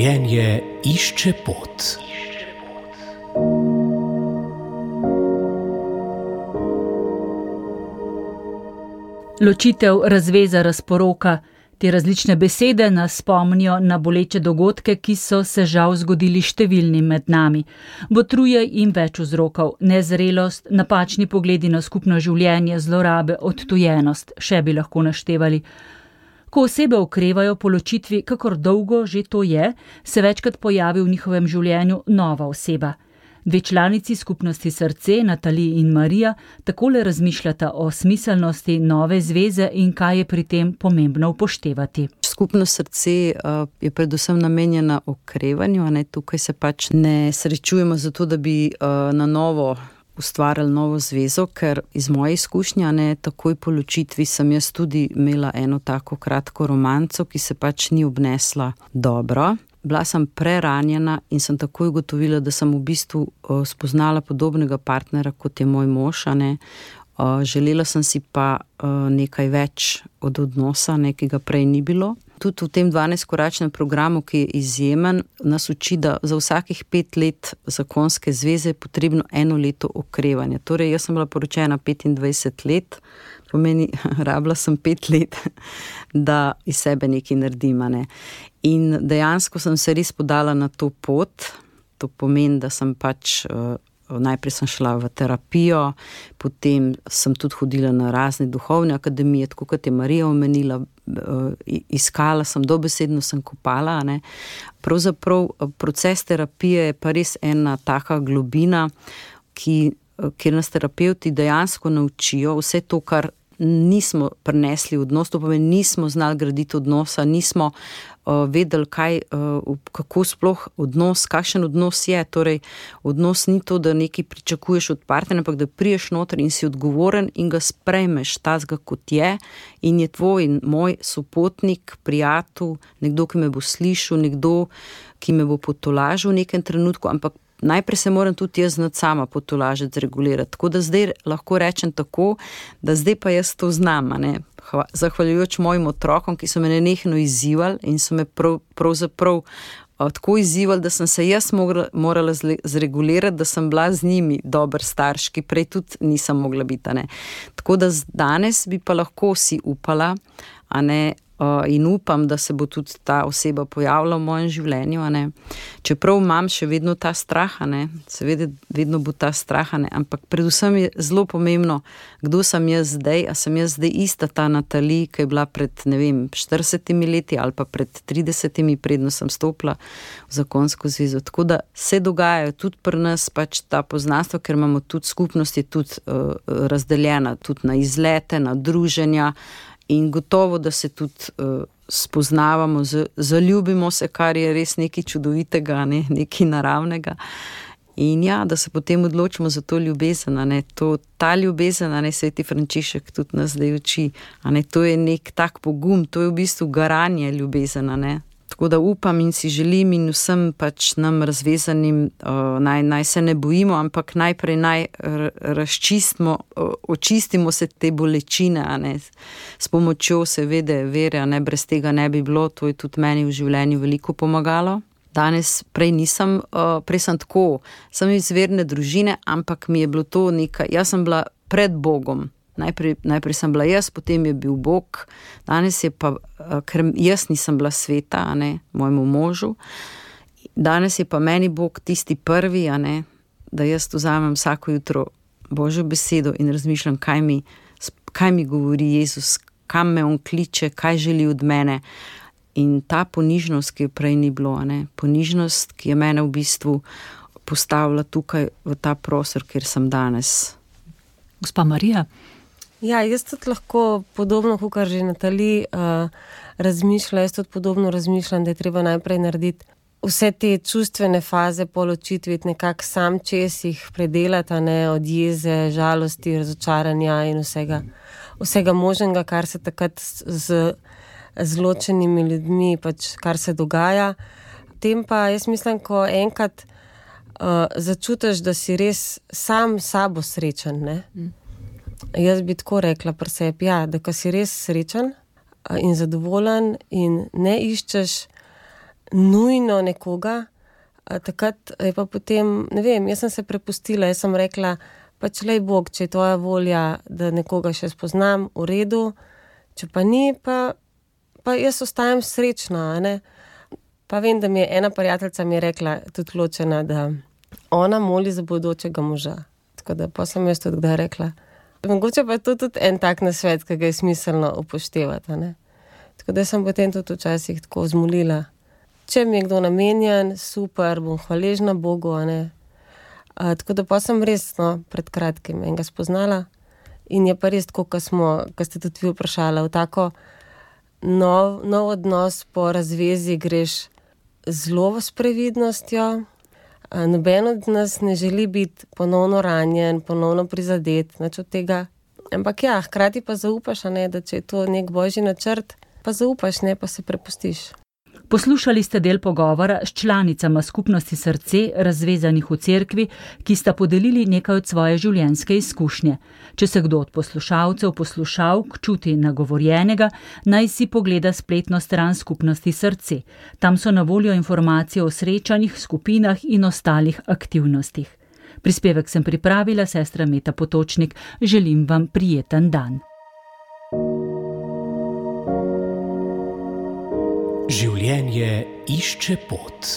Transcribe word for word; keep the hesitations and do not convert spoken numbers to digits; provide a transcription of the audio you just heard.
Življenje išče pot. Ločitev, razveza, razporoka. Te različne besede nas spomnijo na boleče dogodke, ki so se žal zgodili številnim med nami. Botruje jim več vzrokov: nezrelost, napačni pogledi na skupno življenje, zlorabe, odtujenost, še bi lahko naštevali. Ko osebe okrevajo po ločitvi, kakor dolgo že to je, se večkrat pojavi v njihovem življenju nova oseba. Dve članici skupnosti Srce, Natali in Marija, takole razmišljata o smiselnosti nove zveze in kaj je pri tem pomembno upoštevati. Skupnost Srce uh, je predvsem namenjena okrevanju, ne? Tukaj se pač ne srečujemo zato, da bi uh, na novo ustvarjali novo zvezo, ker iz moje izkušnje, ne, takoj po ločitvi sem jaz tudi imela eno tako kratko romanco, ki se pač ni obnesla dobro. Bila sem preranjena in sem takoj ugotovila, da sem v bistvu uh, spoznala podobnega partnera, kot je moj mož, ne. Uh, želela sem si pa uh, nekaj več od odnosa, ne, ki ga prej ni bilo. Tudi v tem dvanajstkoračnem programu, ki je izjemen, nas uči, da za vsakih pet let zakonske zveze je potrebno eno leto okrevanja. Torej, jaz sem bila poročena petindvajset let, pomeni, rabila sem pet let, da iz sebe nekaj naredim, ne. In dejansko sem se res podala na to pot. To pomeni, da sem pač, uh, najprej sem šla v terapijo, potem sem tudi hodila na razne duhovne akademije, tako kot je Marija omenila, uh, iskala sem, dobesedno sem kopala, ne. Pravzaprav proces terapije je pa res ena taka globina, ki, kjer nas terapevti dejansko naučijo vse to, kar nismo prinesli v odnos, to pomeni, nismo znali graditi odnosa, nismo uh, vedeli, kaj, uh, kako sploh odnos, kakšen odnos je. Torej, odnos ni to, da nekaj pričakuješ od partnerja, ampak da priješ noter in si odgovoren in ga sprejmeš tazga, kot je, in je tvoj in moj sopotnik, prijatelj, nekdo, ki me bo slišal, nekdo, ki me bo potolažil v nekem trenutku, ampak najprej se moram tudi jaz znati sama potolažiti, zregulirati. Tako da zdaj lahko rečem tako, da zdaj pa jaz to znam, ne. Zahvaljujoč mojim otrokom, ki so me nenehno izzivali in so me prav, pravzaprav tako izzivali, da sem se jaz morala, morala zregulirati, da sem bila z njimi dober starš, ki prej tudi nisem mogla biti, ne. Tako da danes bi pa lahko si upala, a ne, Uh, in upam, da se bo tudi ta oseba pojavila v mojem življenju, a ne. Čeprav imam še vedno ta strah, a ne, seveda vedno bo ta strah, a ne, ampak predvsem je zelo pomembno, kdo sem jaz zdaj, a sem jaz zdaj ista ta Natali, ki je bila pred, ne vem, štiridesetimi leti ali pa pred tridesetimi, predno sem stopila v zakonsko zvezo. Tako da se dogajajo tudi pri nas pač ta poznanstva, ker imamo tudi skupnost, je tudi uh, razdeljena tudi na izlete, na druženja. In gotovo, da se tudi uh, spoznavamo, z, zaljubimo se, kar je res nekaj čudovitega, ne, nekaj naravnega. In ja, da se potem odločimo za to ljubezen, ne, to, ta ljubezen, ne, Sveti Frančišek tudi nas zdaj uči, ne, to je nek tak pogum, to je v bistvu garanje ljubezen, ne. Tako da upam in si želim in vsem pač nam razvezanim, uh, naj, naj se ne bojimo, ampak najprej naj razčistimo, uh, očistimo se te bolečine, a ne, s pomočjo seveda vere, a ne, brez tega ne bi bilo, to je tudi meni v življenju veliko pomagalo. Danes prej nisem, uh, prej sem tako, sem iz verne družine, ampak mi je bilo to nekaj, jaz sem bila pred Bogom. Najprej, najprej sem bila jaz, potem je bil Bog, danes je pa, ker jaz nisem bila sveta, a ne, mojemu možu, danes je pa meni Bog tisti prvi, a ne, da jaz vzamem vsako jutro Božjo besedo in razmišljam, kaj mi, kaj mi govori Jezus, kam me on kliče, kaj želi od mene. In ta ponižnost, ki je prej ni bilo, a ne, ponižnost, ki je mene v bistvu postavila tukaj v ta prostor, kjer sem danes. Gospa Marija? Ja, jaz tudi lahko podobno, kot že Natali uh, razmišlja, jaz tudi podobno razmišljam, da je treba najprej narediti vse te čustvene faze po ločitvi, nekako sam čez jih predelati, ne, od jeze, žalosti, razočaranja in vsega, vsega možnega, kar se takrat z zločenimi ljudmi, pač kar se dogaja. Tem pa jaz mislim, ko enkrat uh, začutiš, da si res sam sabo srečen, ne. Mm. Jaz bi tako rekla pri sebi, ja, da ko si res srečen in zadovoljen in ne iščeš nujno nekoga. A takrat je pa potem, ne vem, jaz sem se prepustila, jaz sem rekla, pač lej Bog, če je tvoja volja, da nekoga še spoznam, v redu, če pa ni, pa, pa jaz ostajam srečna, ne. Pa vem, da mi je ena prijateljica mi je rekla, tudi ločena, da ona moli za bodočega moža. Tako da pa sem jaz tudi kdaj rekla. Mogoče pa je to tudi en tak nasvet, ki ga je smiselno upoštevati, ne. Tako da sem potem tudi včasih tako zmolila. Če mi je kdo namenjen, super, bom hvaležna Bogu, a ne. A, tako da pa sem res, no, pred kratkim enega spoznala in je pa res tako, ko smo, ko ste tudi vi vprašala, v tako nov, nov odnos po razvezi greš zelo s previdnostjo. A, noben od nas ne želi biti ponovno ranjen, ponovno prizadet, nič od tega. Ampak ja, hkrati pa zaupaš, a ne, da če je to nek božji načrt, pa zaupaš, ne, pa se prepustiš. Poslušali ste del pogovora s članicama skupnosti Srce, razvezanih v cerkvi, ki sta podelili nekaj od svoje življenjske izkušnje. Če se kdo od poslušalcev, poslušalk čuti nagovorjenega, naj si pogleda spletno stran skupnosti Srce. Tam so na voljo informacije o srečanjih, skupinah in ostalih aktivnostih. Prispevek sem pripravila, sestra Meta Potočnik. Želim vam prijeten dan. Življenje išče pot.